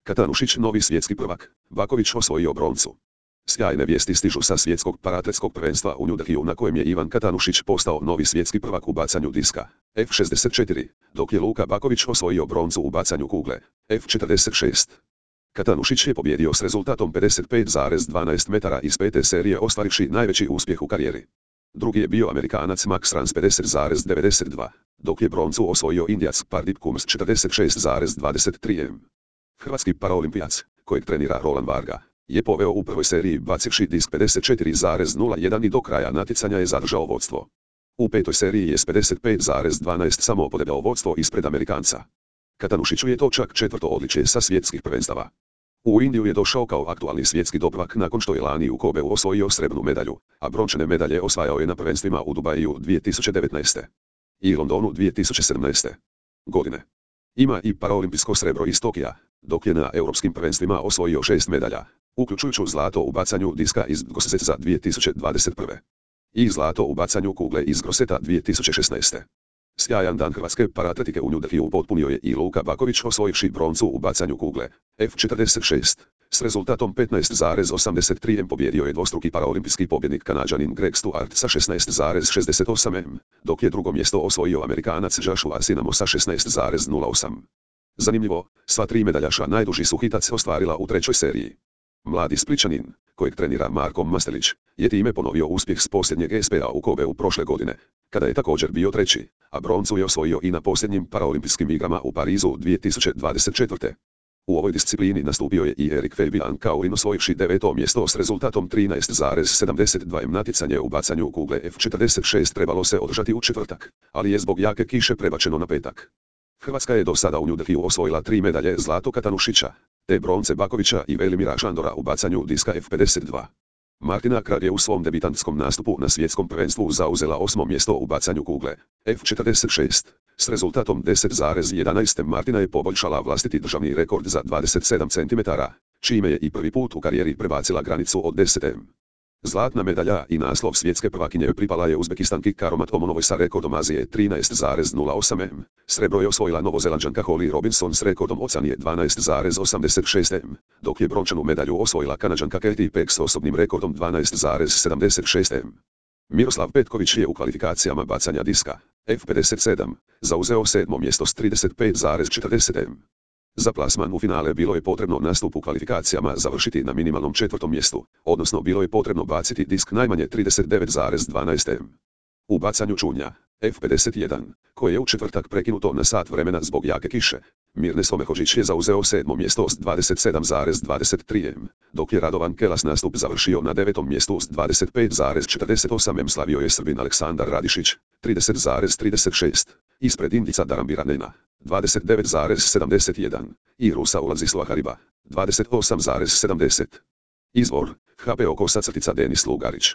Katanušić novi svjetski prvak, Baković osvojio broncu. Sjajne vijesti stižu sa svjetskog paratletskog prvenstva u New Delhiju na kojem je Ivan Katanušić postao novi svjetski prvak u bacanju diska, F64, dok je Luka Baković osvojio broncu u bacanju kugle, F46. Katanušić je pobjedio s rezultatom 55,12 metara iz pete serije ostvarivši najveći uspjeh u karijeri. Drugi je bio Amerikanac Max Rans 50,92, dok je broncu osvojio Indijac Pardip Kums 46,23 m. Hrvatski paraolimpijac, kojeg trenira Roland Varga, je poveo u prvoj seriji bacivši disk 54,01 i do kraja natjecanja je zadržao vodstvo. U petoj seriji je s 55,12 samo podebljao vodstvo ispred Amerikanca. Katanušiću je to čak četvrto odličje sa svjetskih prvenstava. U Indiju je došao kao aktualni svjetski prvak nakon što je lani u Kobeu osvojio srebrnu medalju, a brončane medalje osvajao je na prvenstvima u Dubaju 2019. i Londonu 2017. godine. Ima i paraolimpijsko srebro iz Tokija, dok je na europskim prvenstvima osvojio 6 medalja, uključujući zlato u bacanju diska iz Grosseca 2021. i zlato u bacanju kugle iz Grosseta 2016. Sjajan dan hrvatske paratletike u New Delhiju potpunio je i Luka Baković osvojivši broncu u bacanju kugle, F46. S rezultatom 15,83 m pobjedio je dvostruki paraolimpijski pobjednik Kanađanin Greg Stewart sa 16,68 m, dok je drugo mjesto osvojio Amerikanac Joshua Sinamo sa 16,08. Zanimljivo, sva tri medaljaša najduži su hitac ostvarila u trećoj seriji. Mladi Splićanin, kojeg trenira Marko Mastelić, je time ponovio uspjeh s posljednjeg SPA u Kobeu prošle godine, kada je također bio treći, a broncu je osvojio i na posljednjim paraolimpijskim igrama u Parizu 2024. U ovoj disciplini nastupio je i Erik Fabian Kaurin osvojivši deveto mjesto s rezultatom 13,72 m. Natjecanje u bacanju kugle F46 trebalo se održati u četvrtak, ali je zbog jake kiše prebačeno na petak. Hrvatska je do sada u New Delhiju osvojila 3 medalje zlato Katanušića, te bronce Bakovića i Velimira Šandora u bacanju diska F52. Martina Kralj je u svom debitantskom nastupu na svjetskom prvenstvu zauzela 8. mjesto u bacanju kugle, F46, s rezultatom 10,11 m. Martina je poboljšala vlastiti državni rekord za 27 cm, čime je i prvi put u karijeri prebacila granicu od 10 m. Zlatna medalja i naslov svjetske prvakinje pripala je Uzbekistanki Karomat Omonovoj sa rekordom Azije 13,08 m. Srebro je osvojila Novozelanđanka Holly Robinson s rekordom Oceanije 12,86 m, dok je brončanu medalju osvojila Kanađanka Katie Peck s osobnim rekordom 12,76 m. Miroslav Petković je u kvalifikacijama bacanja diska, F57, zauzeo 7. mjesto s 35,40 m. Za plasman u finale bilo je potrebno nastup u kvalifikacijama završiti na minimalnom 4. mjestu, odnosno bilo je potrebno baciti disk najmanje 39,12 m. U bacanju čunja, F51, koje je u četvrtak prekinuto na sat vremena zbog jake kiše, Mirne Somehožić je zauzeo 7. mjesto s 27,23 m, dok je Radovan Kelas nastup završio na 9. mjestu s 25,48 m. Slavio je Srbin Aleksandar Radišić, 30,36, ispred Indica Darambira Nena, 29,71, i Rusa Ulazislava Hariba, 28,70. Izvor, HP Oko _ Denis Lugarić.